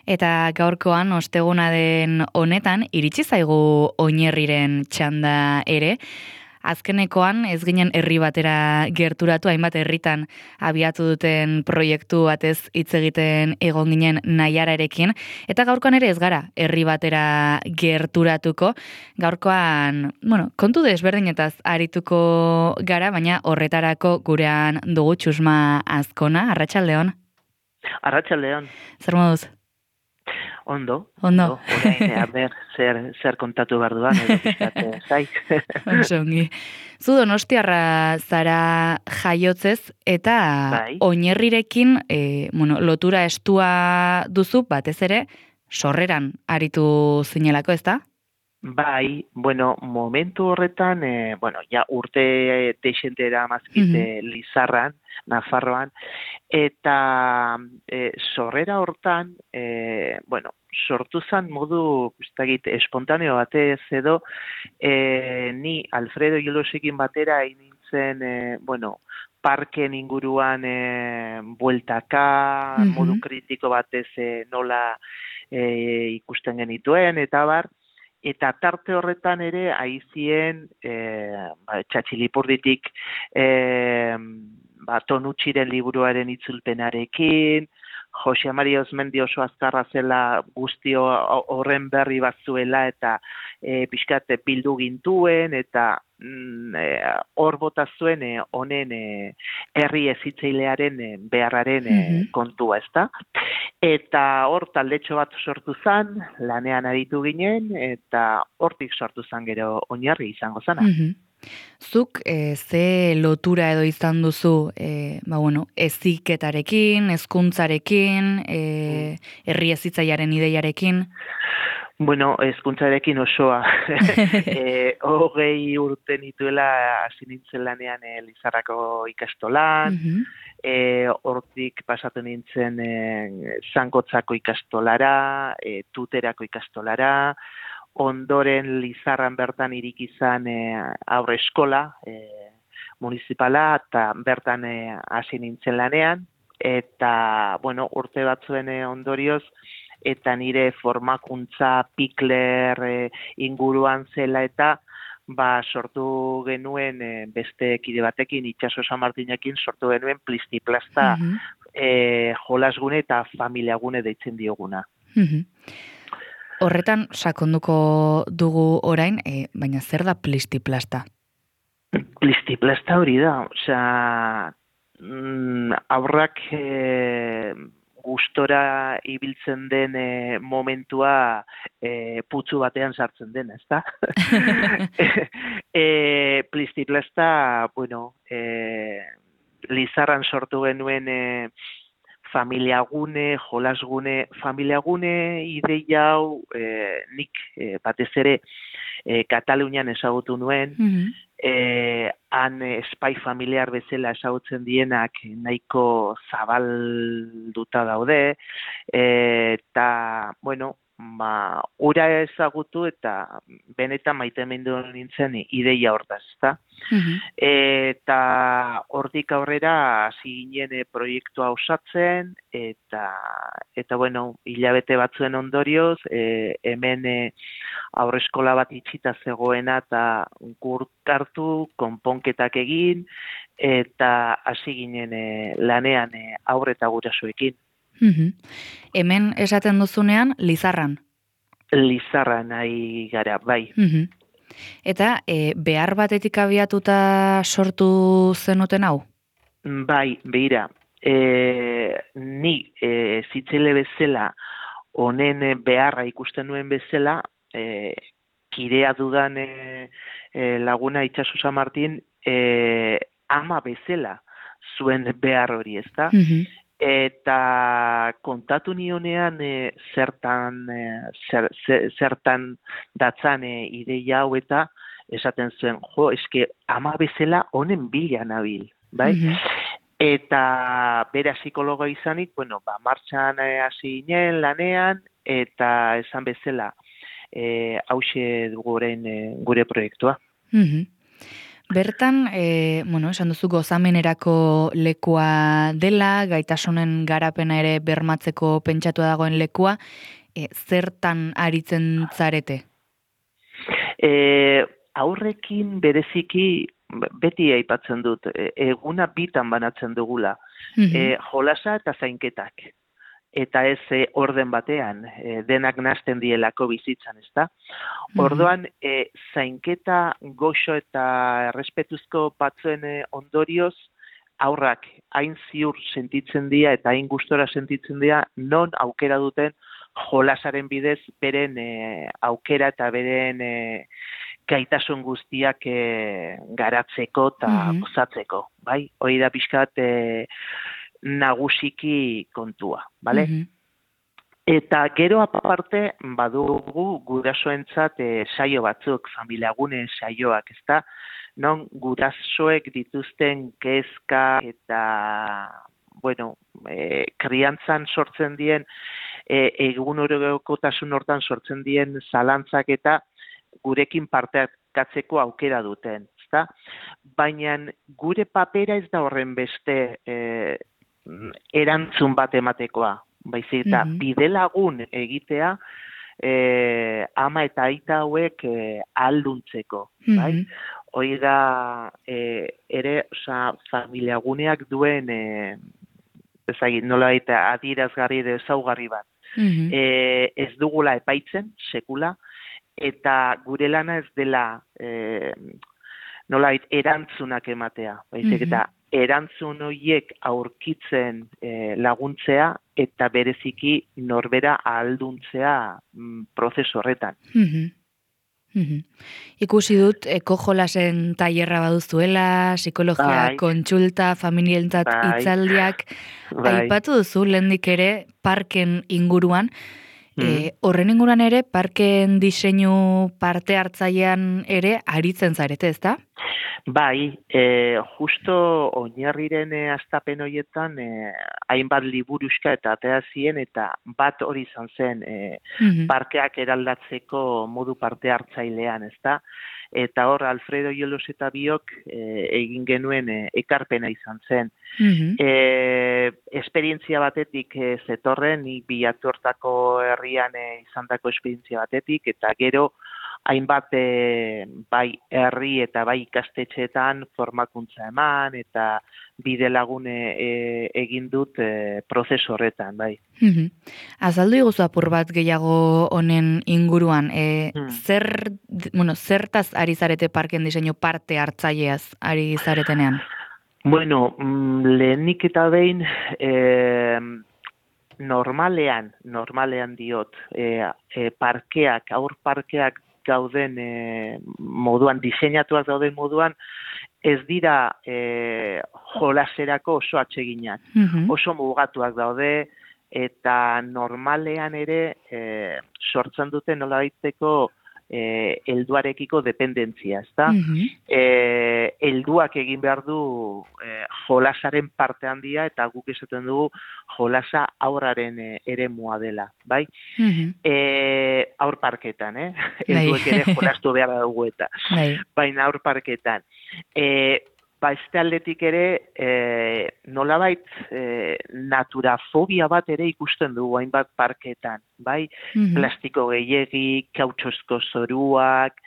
Eta gaurkoan, osteguna den honetan, iritsi zaigu Oinerriren txanda ere. Azkenekoan ez ginen herri batera gerturatu, hainbat herritan abiatu duten proiektu batez hitz egiten egon ginen Naiararekin, eta gaurkoan ere ez gara herri batera gerturatuko. Gaurkoan, kontu desberdinetaz arituko gara, baina horretarako gurean dugu Txusma Azkona. Arratsaldeon. Arratsaldeon. Zer moduz? Ondo. Orain, zer kontatu behar duan, edo pixkate zai. Oso ongi. Zu Donostiarra zara jaiotzez, eta Bai. Oinerrirekin lotura estua duzu, batez ere, sorreran aritu zinelako, ezta? Bai, momentu horretan, ja urte deixentera mazkite Lizarran, Nafarroan, eta sorrera hortan, sortu zen modu, espontaneo batez edo, ni Alfredo Jolosekin batera nintzen, parken inguruan bueltaka, modu kritiko batez nola ikusten genituen, eta bar, eta tarte horretan ere aizien Txatxilipurditik Tonutxiren liburuaren itzulpenarekin, Jose Maria Osmendi oso azkarra zela guztio horren berri bat zuela eta pixkat bildu gintuen eta hor bota zuen honen herri hezitzailearen beharraren kontua, ezta? Eta hor taldetxo bat sortu zen, lanean aritu ginen, eta hortik sortu zen gero Oinarri izango zana. Zuk ze lotura edo izan duzu heziketarekin, hezkuntzarekin, herri hezitzailearen ideiarekin? Hezkuntzarekin osoa. 20 urte nituela hasi nintzen lanean Lizarrako ikastolan, hortik pasatu nintzen Zangotzako ikastolara, Tuterako ikastolara, ondoren Lizarran bertan iriki izan aurre eskola municipala, eta bertan hasi nintzen lanean, eta urte batzuen ondorioz, eta nire formakuntza Pikler inguruan zela eta sortu genuen beste kide batekin, Itxaso San Martinekin sortu genuen Plistiplasta jolasgune eta familiagune deitzen dioguna. Horretan sakonduko dugu orain, baina zer da Plistiplasta? Plistiplasta hori da, aurrak gustora ibiltzen den momentua putzu batean sartzen den, ezta? Plistiplasta, Lizarran sortu genuen familiagune, jolasgune, familiagune ideia hau nik batez ere Katalunian ezagutu nuen, han espai familiar bezala ezagutzen dienak nahiko zabalduta daude, eta, ura ezagutu eta benetan maitemindu nintzen ideia hortaz, ezta? Eta hortik aurrera hasi ginen proiektua osatzen, eta hilabete batzuen ondorioz, hemen aurreskola bat itxita zegoena eta gurtartu, konponketak egin, eta hasi ginen lanean aurre eta gurasoekin. Hemen esaten duzunean, Lizarran? Lizarran nahi gara, bai. Eta behar batetik abiatuta sortu zenuten hau? Bai, behira. Ni zitzele bezala, honen beharra ikusten nuen bezala, kidea dudan laguna Itxaso San Martin, ama bezala zuen behar hori, ezta? Eta kontatu nionean zertan datzan ideia hau eta esaten zuen, eske ama bezala honen bila nabil, bai? Eta bera psikologo izanik, martxan hasi ginen lanean, eta esan bezala hause dugu orain gure proiektua. Bertan, esan duzu gozamenerako lekua dela, gaitasunen garapena ere bermatzeko pentsatua dagoen lekua, zertan aritzen zarete? Aurrekin bereziki beti aipatzen dut, eguna bitan banatzen dugula, jolasa eta zainketak. Eta ez orden batean, denak nahasten dielako bizitzan, ezta? Orduan, zainketa goxo eta errespetuzko batzuen ondorioz, aurrak hain ziur sentitzen dira eta hain gustora sentitzen dira, non aukera duten jolasaren bidez beren aukera eta beren gaitasun guztiak garatzeko eta gozatzeko, bai? Hori da pixkat nagusiki kontua, bale? Eta gero aparte badugu gurasoentzat saio batzuk, familiagune saioak, ezta? Non gurasoek dituzten kezka eta, kriantzan sortzen dien, egunerokotasun hortan sortzen dien zalantzak eta gurekin parteakatzeko aukera duten, ezta? Baina gure papera ez da horren beste erantzun bat ematekoa, baizik eta bidelagun egitea ama eta aita hauek ahalduntzeko, bai? Hoi da ere, familiaguneak duen nolabait adierazgarri edo ezaugarri bat. Ez dugula epaitzen, sekula, eta gure lana ez dela nolabait erantzunak ematea, baizik eta erantzun horiek aurkitzen laguntzea eta bereziki norbera ahalduntzea prozesu horretan. Ikusi dut, ekojolasen tailerra baduzuela, psikologia kontsulta, familientzat hitzaldiak, aipatu duzu lehendik ere parken inguruan, horren inguruan ere, parken diseinu parte hartzailean ere aritzen zarete, ezta? Bai, justo oinarriren hastapen horietan hainbat liburuxka eta atea zien eta bat hori izan zen parkeak eraldatzeko modu parte hartzailean, ezta? Eta hor Alfredo Iolos eta biok egin genuen ekarpena izan zen. Esperientzia batetik zetorren, nik Bilatu hortako herrian izandako esperientzia batetik, eta gero hainbat bai herri eta bai ikastetxeetan formakuntza eman eta bide lagun egin dut prozesu horretan, bai. Azaldu iguzu apur bat gehiago honen inguruan, zertaz ari zarete parken diseinu parte hartzaileaz ari zaretenean? Bueno, lehenik eta behin normalean diot, parkeak, aur parkeak gauden moduan, diseinatuak gauden moduan, ez dira jolaserako oso atseginak, oso mugatuak daude, eta normalean ere sortzen dute nolabaiteko helduarekiko dependentzia, ezta? Helduak egin behar du jolasaren parte handia eta guk esaten dugu jolasa aurraren eremua dela, bai? Aur parketan, helduek ere jolastu behar dugu eta. Baina aur parketan. Beste aldetik ere nolabait naturafobia bat ere ikusten dugu hainbat parketan, bai? Plastiko gehiegi, kautxozko zoruak,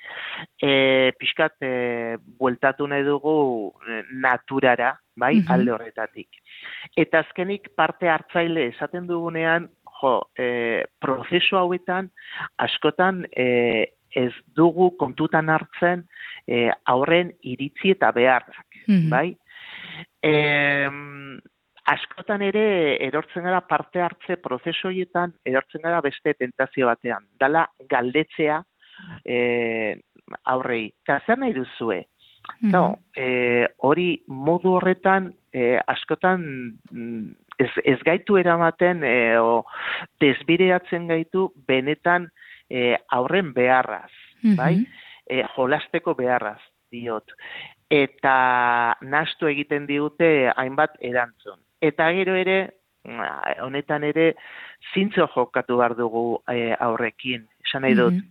pixkat bueltatu nahi dugu naturara, bai? Alde horretatik. Eta azkenik parte hartzaile esaten dugunean, prozesu hauetan askotan ez dugu kontutan hartzen aurren iritzi eta beharrak, bai? Askotan ere erortzen gara parte hartze prozesu horietan, erortzen gara beste tentazio batean. Dala galdetzea aurrei. Eta zer nahi duzue? Hori modu horretan askotan ez gaitu eramaten o desbideatzen gaitu benetan aurren beharraz, bai? Jolasteko beharraz, diot. Eta nahastu egiten digute hainbat erantzun. Eta gero ere, honetan ere, zintzo jokatu behar dugu aurrekin. Esan nahi dut,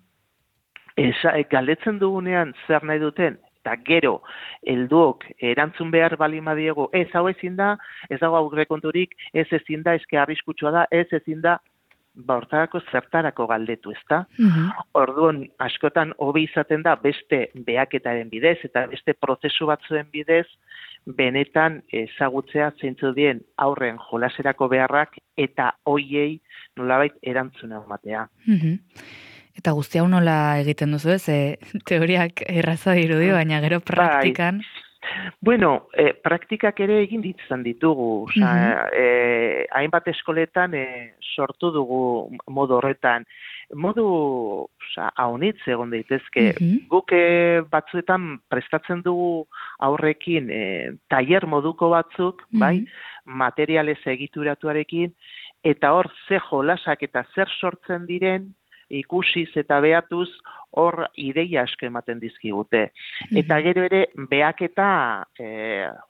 galdetzen dugunean zer nahi duten, eta gero helduok erantzun behar bali madiego, ez hau ezin da, ez dago aurrekonturik, ez ezin da, eske arriskutsua da, ez ezin da, hortarako zertarako galdetu, ezta? Orduan, askotan hobe izaten da beste behaketaren bidez eta beste prozesu batzuen bidez, benetan ezagutzea zeintzu dien aurren jolaserako beharrak eta hoiei nolabait erantzuna ematea. Eta guzti hau nola egiten duzu, ez? Teoriak erraza dirudi, baina gero praktikan... Bueno, praktikak ere egin ditzan ditugu. Hainbat eskoletan sortu dugu modu horretan. Modu haunitz egon daitezke. Guk batzuetan prestatzen dugu aurrekin tailer moduko batzuk, bai, materialez egituratuarekin, eta hor ze jolasak eta zer sortzen diren, ikusiz eta behatuz hor ideia asko ematen dizkigute. Eta gero ere behaketa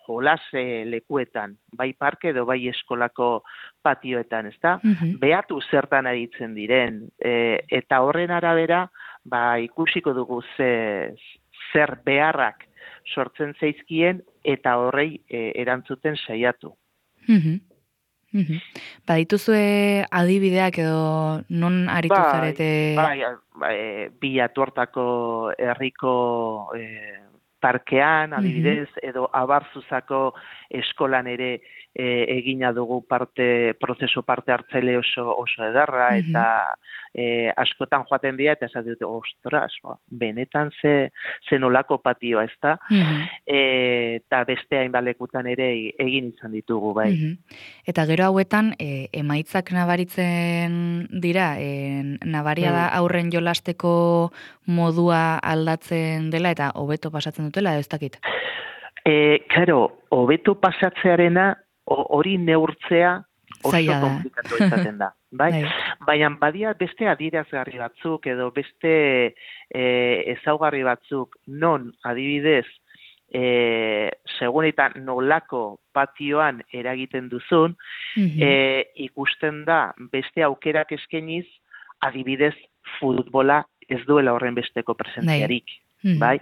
jolas lekuetan, bai parke edo bai eskolako patioetan, ezta? Behatu zertan aritzen diren, eta horren arabera ikusiko dugu zer beharrak sortzen zaizkien eta horrei erantzuten saiatu. Badituzue adibideak edo non aritu zarete? Bilatuartako herriko parkean, adibidez, edo Abarzuzako eskolan ere egina dugu prozesu parte hartzaile oso ederra, eta askotan joaten dira, eta esan dute, ostras, benetan ze nolako patioa, ezta? Eta beste hainbalekutan ere egin izan ditugu, bai. Eta gero hauetan, emaitzak nabaritzen dira, nabaria da aurren jolasteko modua aldatzen dela, eta hobeto pasatzen dutela, ez dakit? Karo, hobeto pasatzearena hori neurtzea oso komplikatu izaten da. Bai? Baina badia beste adierazgarri batzuk edo beste ezaugarri batzuk non adibidez segun eta nolako patioan eragiten duzun, ikusten da beste aukerak eskainiz adibidez futbola ez duela horren besteko presentziarik. Bai?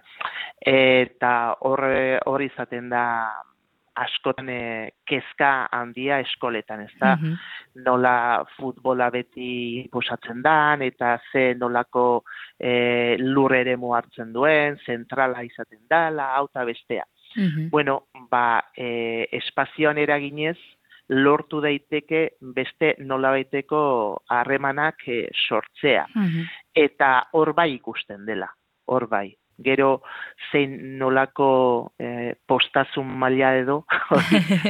Eta hor izaten da askotan kezka handia eskoletan, ez da? Nola futbola beti posatzen dan, eta ze nolako lur eremu hartzen duen, zentrala izaten dala, hau eta bestea. Bueno, espazioan eraginez, lortu daiteke beste nolabaiteko harremanak sortzea. Eta hor bai ikusten dela, hor bai. Gero zein nolako postazun maila edo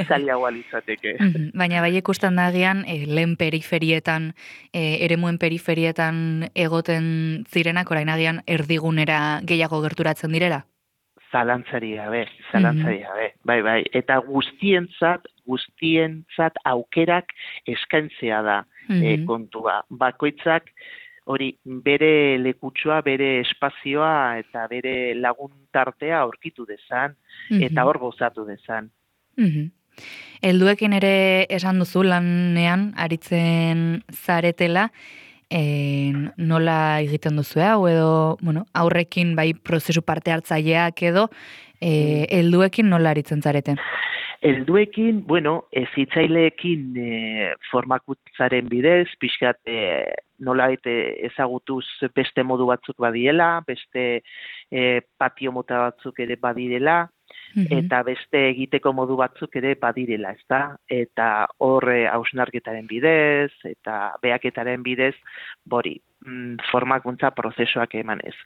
zailagoa litzateke. Baina bai ikusten da agian lehen periferietan, eremuen periferietan egoten zirenak, orain agian erdigunera gehiago gerturatzen direla? Zalantzari gabe. Bai. Eta guztientzat aukerak eskaintzea da kontua. Bakoitzak hori bere lekutsua, bere espazioa eta bere laguntartea aurkitu dezan eta hor gozatu dezan. Helduekin ere esan duzu lanean aritzen zaretela, nola egiten duzu hau edo aurrekin bai prozesu parte hartzaileak edo helduekin nola aritzen zarete? Helduekin, hezitzaileekin formakuntzaren bidez, pixkat nolabait ezagutuz beste modu batzuk badiela, beste patio mota batzuk ere badirela, eta beste egiteko modu batzuk ere badirela, ezta? Eta horre hausnarketaren bidez, eta behaketaren bidez, formakuntza prozesuak emanez.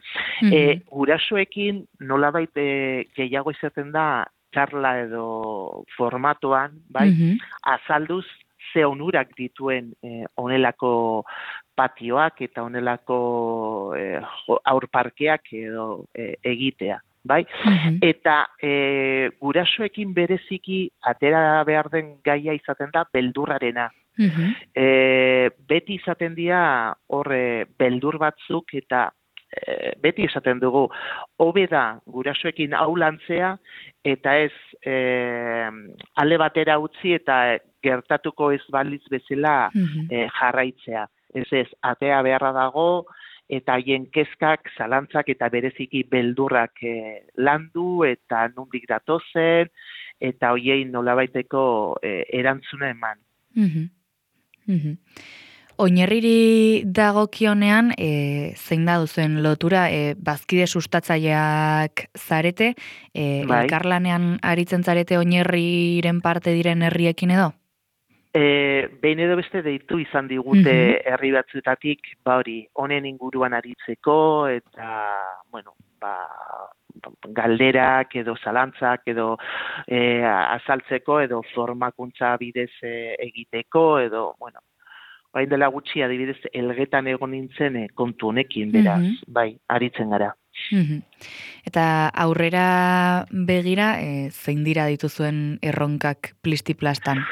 Gurasoekin nolabait gehiago izaten da, txarla edo formatoan, bai, azalduz ze onurak dituen honelako patioak eta honelako aurparkeak edo egitea, bai? Eta gurasoekin bereziki atera behar den gaia izaten da beldurrarena. Beti izaten dira horre beldur batzuk eta beti esaten dugu, hobe da gurasoekin hau lantzea, eta ez alde batera utzi eta gertatuko ez balitz bezala jarraitzea. Ez, atea beharra dago, eta haien kezkak, zalantzak eta bereziki beldurrak landu eta nondik datozen, eta hoiei nolabaiteko erantzuna eman. Oinerriri dagokionean, zein da duzuen lotura, bazkide sustatzaileak zarete, elkarlanean aritzen zarete Oinerriren parte diren herriekin edo? Behin edo beste deitu izan digute herri batzuetatik, hori, honen inguruan aritzeko, eta, bueno, galderak edo zalantzak edo azaltzeko edo formakuntza bidez egiteko edo, bueno, bain dela gutxi adibidez Elgetan egon nintzen kontu honekin, beraz, bai, aritzen gara. Eta aurrera begira, zein dira dituzuen erronkak plistiplastan?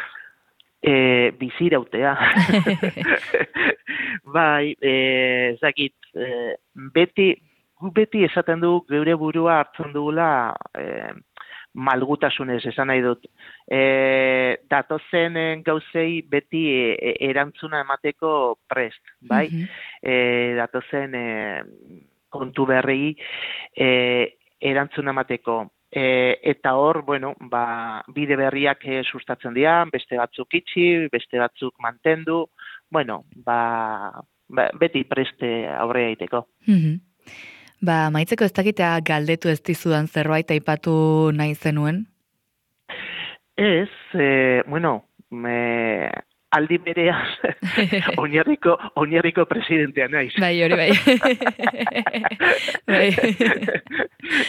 Bizirautea. Bai, ezakit, beti esaten du geure burua hartzen dugula malgutasunez, esan nahi dut. Datozen gauzei beti erantzuna emateko prest, bai? Datozen kontu berri erantzuna emateko. Eta hor, bueno, bide berriak sustatzen dira, beste batzuk itxi, beste batzuk mantendu, bueno, beti preste aurrea egiteko. Maitzeko ez dakitea galdetu ez dizudan zerbait aipatu nahi zenuen? Ez, bueno, aldi berean oinarriko presidentea naiz. Bai, hori bai.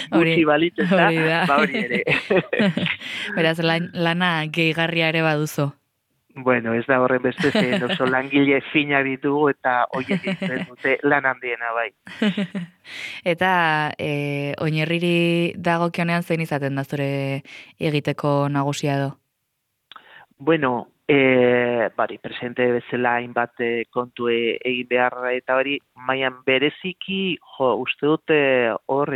Gutxi balitz ez da, hori ere. Beraz, lana gehigarria ere baduzu. Bueno, ez da horren beste zen, oso langile fina ditugu eta hoiek egiten dute lan handiena bai. Eta Oinerriri dagokionean zein izaten da zure egiteko nagusia edo? Bueno, presente bezala hainbat kontu egin behar eta hori, maian bereziki, uste dute hor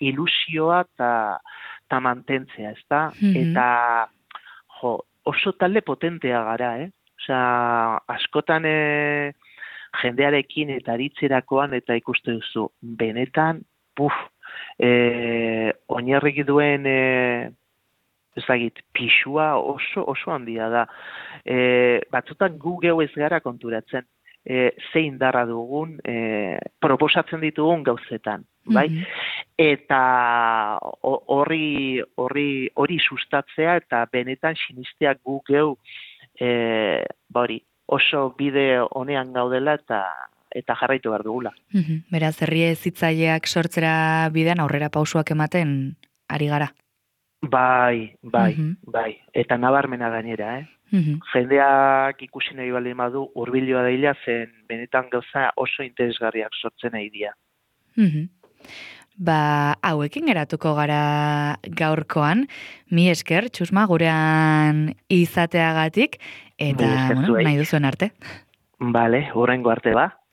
ilusioa eta mantentzea, ezta? Eta, oso talde potentea gara, Osea, askotan jendearekin eta aritzerakoan eta ikuste duzu, benetan, Oinerrik duen ezagit, pixua oso handia da. Batzutan gu geu ez gara konturatzen, zein darra dugun, proposatzen ditugun gauzetan, bai? Eta hori sustatzea eta benetan sinisteak gu geu, oso bide honean gaudela eta jarraitu behar dugula. Beraz, herri hezitzaileak sortzera bidean aurrera pausuak ematen ari gara. Bai. Eta nabarmena gainera, Jendeak ikusi nahi baldin badu hurbiloa daila zen benetan gauza oso interesgarriak sortzen nahi dira. Hauekin geratuko gara gaurkoan, mi esker, Txusma, gurean izateagatik, eta nahi duzuen arte. Bale, horrengo arte ba.